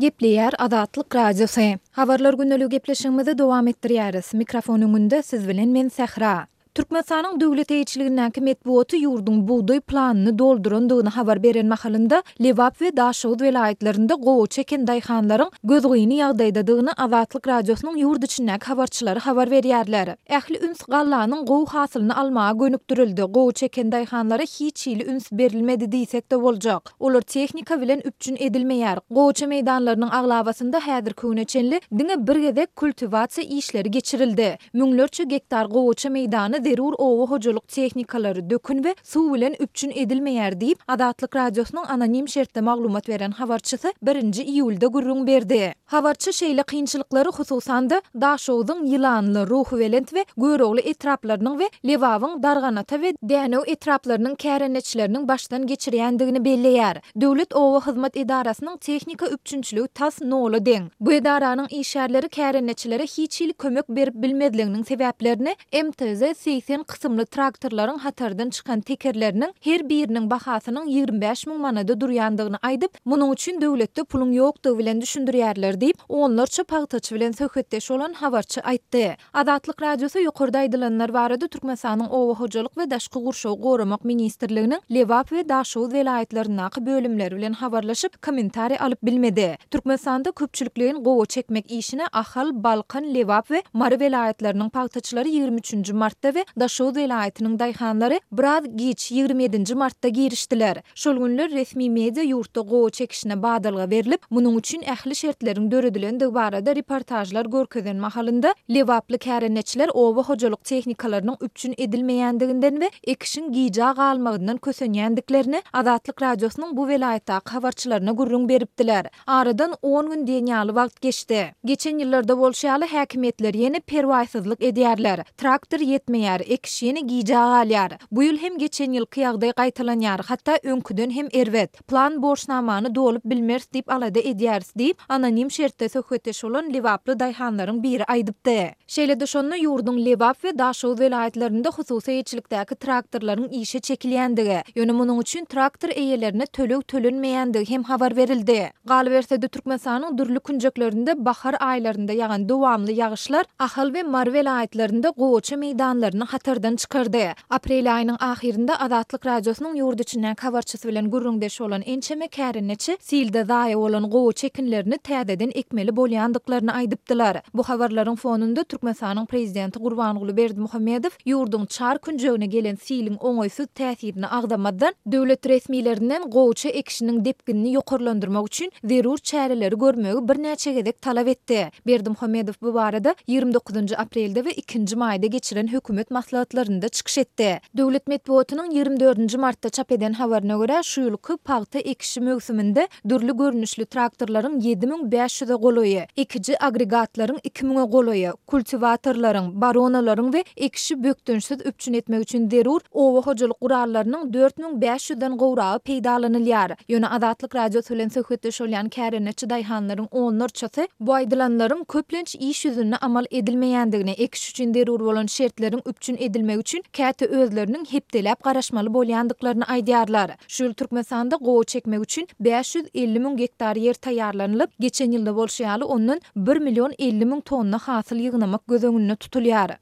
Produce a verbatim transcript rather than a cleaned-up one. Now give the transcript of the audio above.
Gepleýär Azatlyk Radiosy. Habarlar gündeligi gepleşigimizi dowam etdirýäris. Mikrofon öňünde siz bilen men Sähra. Türkmenistanyň döwlet eýeçiligindäki metbugaty ýurduň bugdaý planyny doldurandygyny habar beren mahalynda, Lebap we Daşoguz welaýatlarynda gowaça eken daýhanlaryň gözgyny ýagdaýdadygyny Azatlyk Radiosynyň ýurt içindäki habarçylary habar berýärler. Ähli üns gallanyň gowy hasylyny almaga gönükdirildi, gowaça eken daýhanlara hiç hili üns berilmedi diýsek-de boljak. Olar tehnika bilen üpjün edilmeýär. Gowaça meýdanlarynyň aglabasynda häzirki güne çenli diňe bir gezek kultiwasiýa işleri geçirildi. Müňlerçe gektar gowaça meýdany zerur oba hojalyk tehnikalary, dökün we suw bilen üpjün edilmeýär diýip, Azatlyk Radiosynyň anonim şertde maglumat beren habarçysy birinji iýulda gürrüň berdi. Habarçy şeýle kynçylyklary hususan-da, Daşogzuň Ýylanly, Ruhubelent we Görogly etraplarynyň we Lebabyň Darganata we Dänew etraplarynyň kärendeçileriniň başdan geçirýändigini belleýär. Döwlet oba hyzmat edarasynyň tehnika üpjünçiligi tas nola deň. Bu edaranyň işgärleri kärendeçilere hiç hili kömek berip bilmezliginiň sebäplerini M T Z segsen kysymly traktorlaryň hatardan çykan tekerleriniň her biriniň bahasynyň ýigrimi bäş müň manada durýandygyny aýdyp, munuň üçin döwletde puluň ýokdugy bilen düşündirýärler diýip, onlarça pagtaçy bilen söhbetdeş bolan habarçy aýtdy. Azatlyk Radiosy ýokarda aýdylanlar barada Türkmenistanyň Oba hojalyk we daşky gurşawy goramak ministrliginiň Lebap we Daşoguz welaýatlaryndaky bölümleri bilen habarlaşyp, kommentariý alyp bilmedi. Türkmenistanda köpçülikleýin gowa çekmek işine Ahal, Balkan, Lebap we Mary welaýatlarynyň pagtaçylary ýigrimi üçünji martda we Daşoguz welaýatynyň daýhanlary biraz giç ýigrimi ýedinji martda girişdiler. Şol günler resmi media ýurtda gowa çekişine badalga berlip, munuň üçin ähli şertleriň döredilendigi barada reportajlar görkezen mahalynda Lebaply kärendeçiler oba hojalyk tehnikalarynyň üpjün edilmeýändiginden we ekişiň gijä galmagyndan kösenýändiklerini Azatlyk Radiosynyň bu welaýatdaky habarçylaryna gürrüň beripdiler. Aradan on gün diýen ýaly wagt geçdi. Geçen ýyllarda bolşy ýaly häkimiýetler ýene perwaýsyzlyk edýärler. Traktor ýetmeýär, ekiş ýene gijä galýar. Bu ýyl hem geçen ýylky ýagdaý gaýtalanýar, hatda öňküden hem erbet. Plan borçnamany dolup bilmeris diýip alada edýäris diýip, anonim şertde söhbetdeş bolan Lebaply daýhanlaryň biri aýdypdy. Şeýle-de şonda ýurduň Lebap we Daşoguz welaýatlarynda hususy eýeçilikdäki traktorlaryň işe çekilýändigi, ýöne munuň üçin traktor eýelerine töleg tölenmeýändigi hem habar berildi. Galyberse-de Türkmenistanyň dürli künjeklerinde bahar aýlarynda ýagan dowamly ýagyşlar Ahal we Mary welaýatlarynda gowaça meýdanlaryny hatardan çykardy. Aprel aýynyň ahyrynda Azatlyk Radiosynyň ýurt içindäki habarçysy bilen gürrüňdeş bolan ençeme kärendeçi silde zaýa bolan gowaça ekinlerini täzeden ekmeli bolýandyklaryny aýdypdylar. Bu habarlaryň fonunda Türkmenistanyň prezidenti Gurbanguly Berdimuhamedow ýurduň çar künjegine gelen siliň oňaýsyz täsirini agzamazdan, döwlet resmilerinden gowaça ekişiniň depginini ýokarlandyrmak üçin zerur çäreleri görmegi birnäçe gezek talap etdi. Berdimuhamedow bu barada ýigrimi dokuzynjy aprelde we ikinji maýda geçiren hökümet maslahatlarynda çykyş etdi. Döwlet metbugatynyň ýigrimi dördünji martda çap eden habaryna görä, şu ýylky pagta ekişi möwsüminde dürli görnüşli traktorlaryň ýedi müň bäş ýüze golaýy, ekiji agregatlaryň iki müňe golaýy, kultiwatorlaryň, baronalaryň we ekişi bökdençsiz üpjün etmek üçin zerur oba hojalyk gurallarynyň dört müň bäş ýüzden gowragy peýdalanylýar. Ýöne Azatlyk Radiosy bilen söhbetdeş bolýan kärendeçi daýhanlaryň onlarçasy bu aýdylanlaryň köplenç iş ýüzünde amal edilmeýändigini, ekiş üçin zerur bolan şertleriň üpjün edilmegi üçin käte özleriniň hepdeläp garaşmaly bolýandyklaryny aýdýarlar. Şu ýyl Türkmenistanda gowa çekmek üçin bäş ýüz elli müň gektar ýer taýýarlanylyp, geçen ýylda bolşy ýaly ondan bir million elli müň tonna hasyl ýygnamak göz öňünde tutulýar.